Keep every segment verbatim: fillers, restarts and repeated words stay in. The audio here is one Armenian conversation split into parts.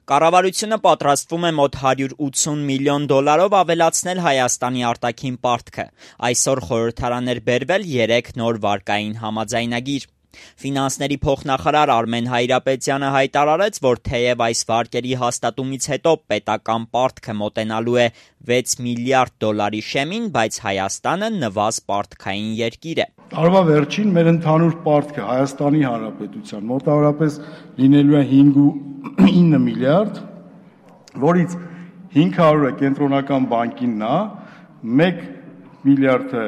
Կառավարությունը պատրաստվում է մոտ հարյուր ութսուն միլիոն դոլարով ավելացնել Հայաստանի արտաքին պարտքը։ Այսօր խորհրդարան էր բերվել երեք նոր վարկային համաձայնագիր։ Ֆինանսների փոխնախարար Արմեն Հայրապետյանը հայտարարեց, որ թեև այս վարկերի հաստատումից հետո պետական պարտքը մոտենալու է վեց միլիարդ դոլարի շեմին, բայց Հայաստանը նվազ պարտքային երկիր է։ Տարվա վերջին մեր ընդհանուր պարտքը Հայաստանի Հանրապետության մոտավորապես լինելու է ինը միլիարդ, որից հինգ հարյուրը կենտրոնական բանկինն է, մեկ միլիարդը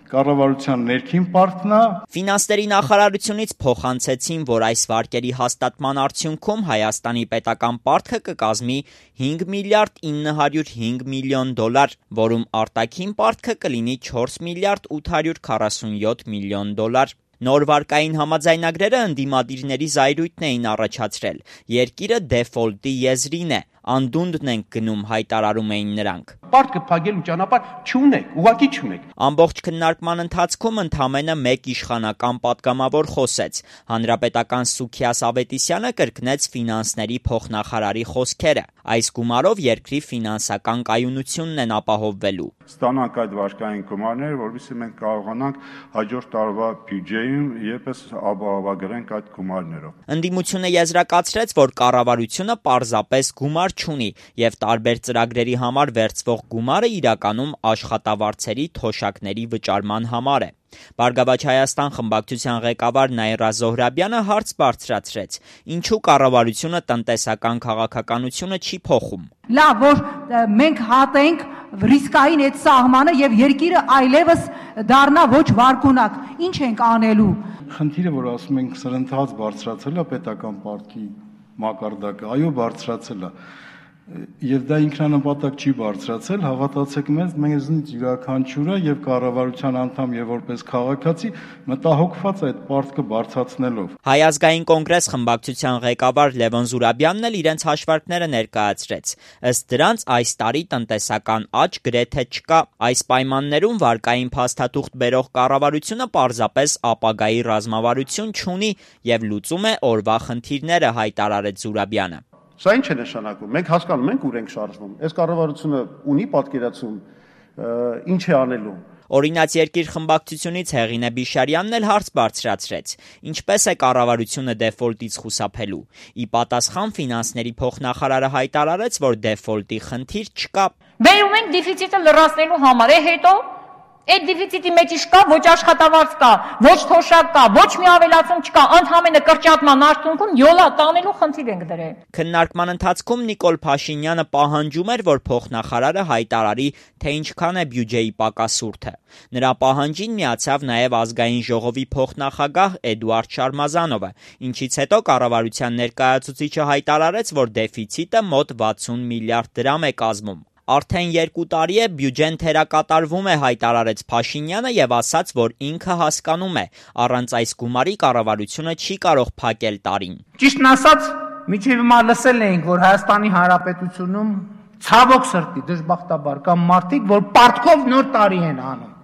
կառավարության ներքին պարտքն է։ Ֆինանսների նախարարությունից փոխանցեցին, որ այս վարկերի հաստատման արդյունքում Հայաստանի պետական պարտքը կկազմի հինգ միլիարդ ինը հարյուր հինգ միլիոն դոլար, որում արտաքին պարտքը կլինի չորս միլիարդ ութ հարյուր քառասունյոթ միլիոն դոլար։ Նոր վարկային համաձայնագրերը ընդդիմադիրների զայրույթն էին առաջացրել։ Երկիրը դեֆոլտի եզրին է, անդունդն ենք գնում, հայտարարում էին նրանք։ Պարտքը փակելու ճանապարհ չունեք, ուղղակի չունեք։ Ամբողջ քննարկման ընթացքում ընդամենը մեկ իշխանական պատգամավոր խոսեց։ Հանրապետական Սուքիաս Ավետիսյանը կրկնեց ֆինանսների փոխնախարարի խոսքերը։ Այս գումարով երկրի ֆինանսական կայունությունն են ապահովվելու։ Ստանանք այդ վարկային գումարները, որովհետեւ մենք կարողանանք հաջորդ տարվա բյուջեում եւս ապահովագրենք այդ գումարներով։ Ընդդիմությունը եզրակացրեց, որ կառավարությունը պարզապես գումար չունի եւ տարբեր ծրագրերի համար վերցվող գումարը իրականում աշխատավարձերի թոշակների վճարման համար է։ Բարգավաճ Հայաստան խմբակցության ղեկավար Նաիրա Զոհրաբյանը հարց բարձրացրեց. ինչու կառավարությունը տնտեսական քաղաքականությունը չի փոխում։ Լավ, որ մենք հատենք ռիսկային այդ սահմանը եւ երկիրը այլևս դառնա ոչ վարկունակ։ Ինչ ենք անելու։ Խնդիրը, որ ասում ենք սրընթաց բարձրացել է պետական պարտքի մակարդակը, այո, բարձրացել է։ Եվ դա ինքնանպատակ չի բարձրացել, հավատացեք մեզ, մեզնից յուրաքանչյուրը եւ կառավարության անդամ եւ որպես քաղաքացի մտահոգված այդ պարտքը բարձրացնելով։ Հայ ազգային կոնգրես խմբակցության ղեկավար Լևոն Զուրաբյանն էլ իրենց հաշվարկները ներկայացրեց։ Ըստ դրանց այս տարի տնտեսական աճ գրեթե չկա։ Այս պայմաններում վարկային փաստաթուղթ բերող կառավարությունը պարզապես ապագայի ռազմավարություն չունի եւ լուծում է օրվա խնդիրները, հայտարարեց Զուրաբյանը։ Սա ինչ է նշանակում։ Մենք հասկանում ենք, ուր ենք շարժվում։ Այս կառավարությունը ունի պատկերացում, ինչ է անելու։ Օրինաց երկիր խմբակցությունից Հեղինե Բիշարյանն էլ հարց բարձրացրեց. ինչպես է կառավարությունը դեֆոլտից խուսափելու։ Ի պատասխան ֆինանսների փոխնախարարը հայտարարեց, որ դեֆոլտի խնդիր չկա։ Բերում ենք դեֆիցիտը լրացնելու համար, է հետո այդ դեֆիցիտի մեջ չկա ոչ աշխատավարձ կա, ոչ թոշակ կա, ոչ մի ավելացում չկա, ընդհանրապես կրճատման արդյունքում յոլա տանելու խնդիր ենք դրել։ Քննարկման ընթացքում Նիկոլ Փաշինյանը պահանջում էր, որ փոխնախարարը հայտարարի, թե ինչքան է բյուջեի պակասուրդը։ Նրա պահանջին միացավ նաև ազգային ժողովի փոխնախագահ Էդուարդ Շարմազանովը, ինչից հետո կառավարության ներկայացուցիչը հայտարարեց, որ դեֆիցիտը մոտ վաթսուն միլիարդ դրամ է կազմում։ Արդեն երկու տարի է բյուջեն թերակատարվում է, հայտարարեց Փաշինյանը եւ ասաց, որ ինքը հասկանում է, առանց այս գումարի կառավարությունը չի կարող փակել տարին։ Ճիշտն ասած, միջև հիմա լսել էինք, որ Հայաստանի Հանրապետությունում ցավոք սրտի դժբախտաբար կան մարդիկ, որ պարտքով նոր տարի են անում։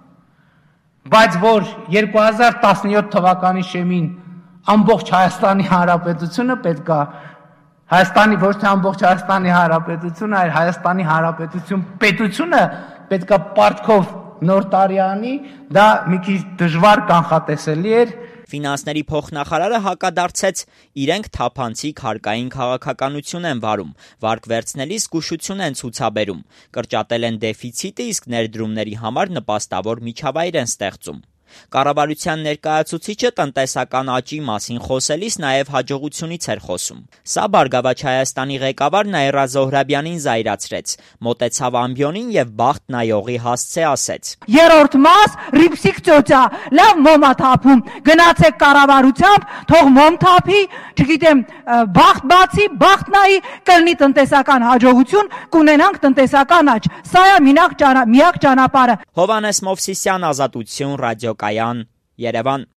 Բայց որ երկու հազար տասնյոթ թվականի շեմին ամբողջ Հայաստանի Հանրապետությունը պետք է Հայաստանի ոչ թե ամբողջ Հայաստանի Հանրապետությունը, այլ Հայաստանի Հանրապետություն պետությունը պետք է պարտքով նոր տարի անի, դա մի քիչ դժվար կանխատեսելի էր։ Ֆինանսների փոխնախարարը հակադարձեց, իրենք թափանցիկ հարկային քաղաքականություն են վարում, վարկ վերցնելիս զգուշություն են ցուցաբերում, կրճատել են դեֆիցիտը, իսկ ներդրումների համար նպաստավոր միջավայր են ստեղծում։ Կառավարության ներկայացուցիչը տնտեսական աճի մասին խոսելիս նաև հաջողությունից էր խոսում։ Սա Բարգավաճ Հայաստանի ղեկավար Նաիրա Զոհրաբյանին զայրացրեց, մոտեցավ ամբիոնին եւ բախտ նայողի հասցե ասեց. Երրորդ մաս ռիփսիկ ծոցա, լավ մոմա թափում, գնացեք կառավարությամբ, թող մոմ թափի, չգիտեմ, բախտ բացի, բախտ նայի, կլինի տնտեսական հաջողություն, կունենանք տնտեսական աճ։ Սա է միակ ճանապարհը։ Հովհաննես Մովսիսյան, Ազատություն, ռադիոկայան, Երևան։